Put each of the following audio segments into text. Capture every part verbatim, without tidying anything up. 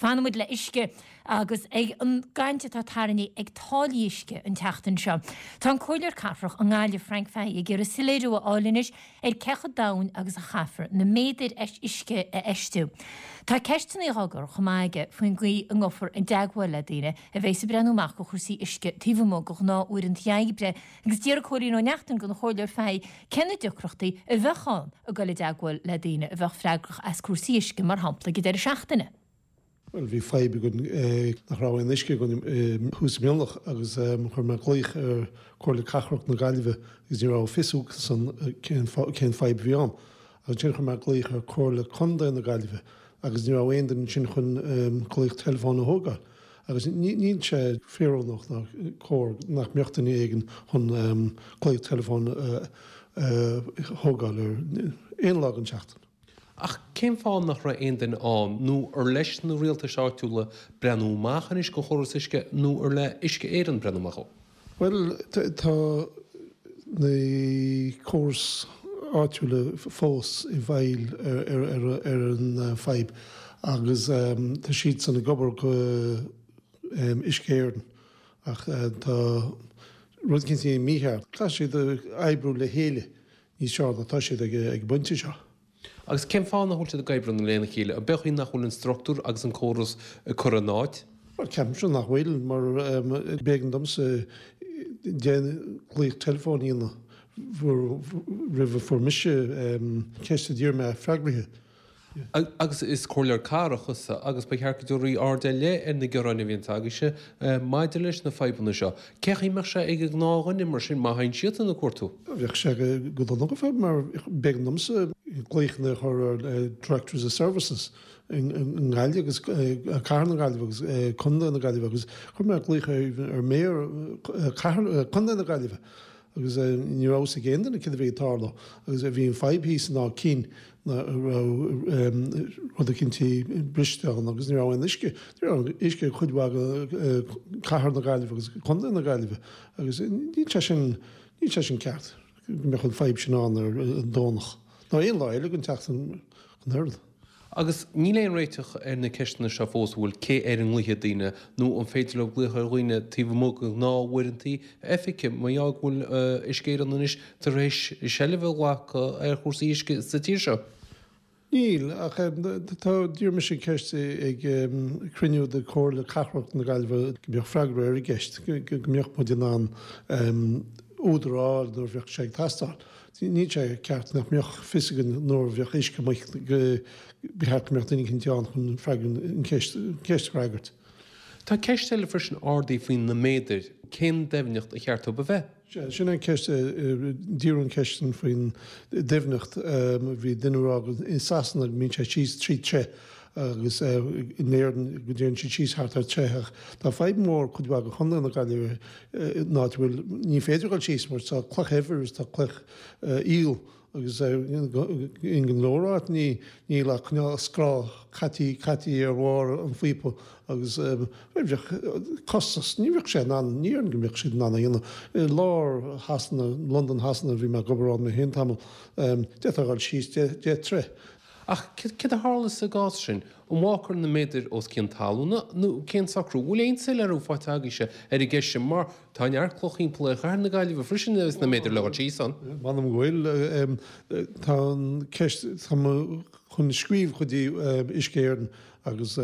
Fanfaidh muid le uisce agus ag an gcaint atá tarraingthe ag táillí uisce an tseachtain seo. Tá an Comhairleoir Cathrach i nGaillimh Frank Fahey ag iarraidh soiléiriú a fháil anois ar cé chomh domhain agus a chaithfear na méadair uisce a fheistiú. Tá ceisteanna á gcur chomh maith aige faoin gcaoi a ngabhfar i dteagmháil le daoine a bheas ag breathnú amach do chúrsaí uisce taobh amuigh de ghnáth-uaireanta oibre agus d'iarr Cóilín Ó Neachtain den Chomhairleoir Fahey cé na deacrachtaí a bheadh ann ag dul i dteagmháil le daoine a bheadh freagrach as cúrsaí uisce mar shampla ag deireadh seachtaine. Well bhí fadhb againn nach raibh aon uisce againn thuas i Mionlach agus chuir mé glaoch ar Comhairle Cathrach na Gaillimhe agus ní raibh fios acusan cén cén fadhb a bhí ann. Agus ansin chuir mé glaoch ar Comhairle Contae na Gaillimhe agus ní raibh aon duine ansin chun glaoch teileafóin a thógáil. Agus níl sé fíorúnach ná cóir nach mbeadh duine éigin chun glaoch teileafóin a thógáil ar aon lá den tseachtain. Ach cén fáth nach raibh aon duine ann, nó ar leis na rialtais áitiúla breathnú amach anois go chóras uisce nó ar le Uisce Éireann breathnú amach ó? Bhuel tá na córais áitiúla fós i bhfeighil ar an fadhb agus tá siadsan ag obair go Uisce Éireann ach tá rud éicint mícheart. Caithfidh siad oibriú le chéile níos fearr ná tá siad ag an bpointe seo. Agus cén fáth nach bhfuil siad ag oibriú lena chéile? An é nach bhfuil an struchtúr agus an córas curtha in áit? Well ceapaimse nach bhfuil mar b'éigean domsa deich nglaoch teileafóin a dhéanamh roimh a fuair mise ceist a d'iarr mé freagraithe. Agus is comhairleoir cathrach thusa agus ba cheart go dtabharfaí aird ar leith ar na gearáin a bhíonn agaibhse maidir leis na fadhbanna seo. Cén chaoi a mbeadh sé ag an ngnáthdhuine mar sin má théann siadsan ag cuartú? Bheadh sé go dona go fóill mar b'éigean domsa glaochanna a chur ar Directors of Services i nGaillimh agus Cathair na Gaillimhe agus Contae na Gaillimhe agus chuir mé glaoch ar Mayor Contae na Gaillimhe agus ní raibh fhios ag aon duine céard a bhí ag tarlú agus bhí an fadhb thíos in Áth Cinn raibh rud eicínt briste ann agus ní raibh aon uisce. Ní raibh uisce ag cuid mhaith de Cathair na Gaillimhe agus Contae na Gaillimhe agus níl sé sin níl sé sin ceart go mbeadh an fadhb sin ann ar an Domhnach nó aon lá eile den tseachtain an oiread. Agus níl aon réiteach ar na ceisteanna seo fós, an bhfuil, cé air a nglaofaidh daoine nó an féidir leo glaoch ar dhaoine taobh amuigh de ghnáth-uaireanta oifige, mar gheall go bhfuil Uisce Éireann anois tar éis seilbh a ghlacadh ar chúrsaí uisce sa tír seo? Níl, ach tá, d'iarr mise ceist ag cruinniú de Chomhairle Cathrach na Gaillimhe go mbeadh freagra ar an gceist, go mbeadh muid in ann údar a fháil nuair a bheadh sé ag teastáil. Níl sé ceart nach mbeadh fios againn nuair a bheadh uisce amuigh go ba cheart go mbeadh duine eicínt ann chun freagra an cheist a fhreagairt. Tá ceist eile freisin ardaithe faoi na méadair, cén doimhneacht a cheart dóibh a bheith? Sea, sin an ceist, d'iarradh an ceist sin faoin doimhneacht. Bhí duine ag rá go i Sasana go mbíonn sé síos trí troigh agus in Éirinn go dtéann siad síos thart ar troigh ach tá fadhb mhór cuid mhaith de Chontae na Gaillimhe in áit a bhfuil, ní féidir dul síos mar tá cloch eibhir is tá cloch aoil agus in go leor áit ní níl ach cineál scáth caití caití ar bharr an phíopa agus bheadh costas, ní bheadh sé in ann, ní déarfainn go mbeadh siad in ann a dhéanamh. I lár Shasana, Londain Shasana, bhí mé ag obair ann mé féin tamall, d'fhéadfá a dhul síos deich troigh. Ach céard a tharlós sa gcás sin? An bhfágfar na méadair os cionn talúna nó cén socrú? Bhfuil aon soiléiriú faighte agaibhse ar an gceist sin mar tá neart cloch thimpeall ar chathair na Gaillimhe freisin agus na méadair le dhul síos ann? M'anam go bhfuil. Tá an ceist, tá mé chun scríobh go dtí Uisce Éireann agus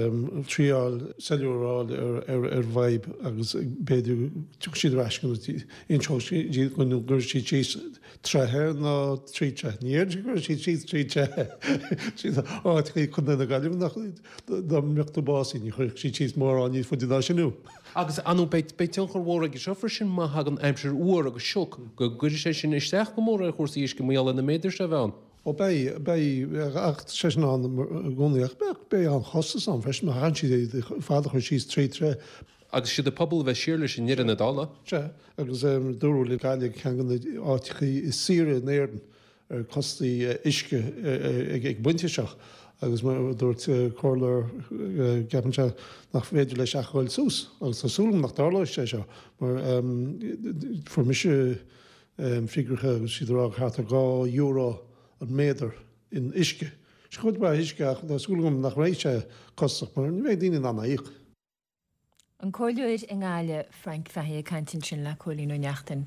triáil soiléiriú a fháil ar ar an bhfadhb agus b'fhéidir tiocfaidh siad ar ais agus inseoidh siad go gcuirfidh siad síos troigh nó trí troigh. Ní déarfainn go gcuirfidh siad síos trí troigh. Sin áiteachaí Chontae na Gaillimhe nach dá mbeadh tú básaithe ní chuirfeadh siad síos mórán níos faide ná sin thú. Agus ar ndóigh beidh beidh tionchar mhór aige seo freisin má thagann aimsir fhuar agus sioc go gcuirfidh sé sin isteach go mór ar chúrsaí uisce mar gheall ar na méadair seo a bheith ann. Ó beidh, beidh, ach tá sé sin ann i gcónaí ach beidh, beidh an-chostas ann freisin má chaitheann siad iad ar fad a chur síos trí troigh. Agus siad an pobal a bheas siar leis i ndeireadh na dála. Sea, agus dúradh le Gaillimh ceann de na áiteachaí is saoire in Éirinn ar costais uisce ag an bpointe seo agus mar a dúirt comhairleoir ceapann sé nach féidir leis ach a ghoil suas agus tá súil agam nach dtarlóidh sé seo mar fuair mise figiúireacha agus siad ag rá thart ar dhá euro an méadar in uisce. Is cuid mhaith uisce ach tá súil agam nach mbeidh sé costasach mar ní bheidh daoine in ann a íoc. An Comhairleoir i nGaillimh, Frank Fahey ag caint ansin le Cóilín Ó Neachtain.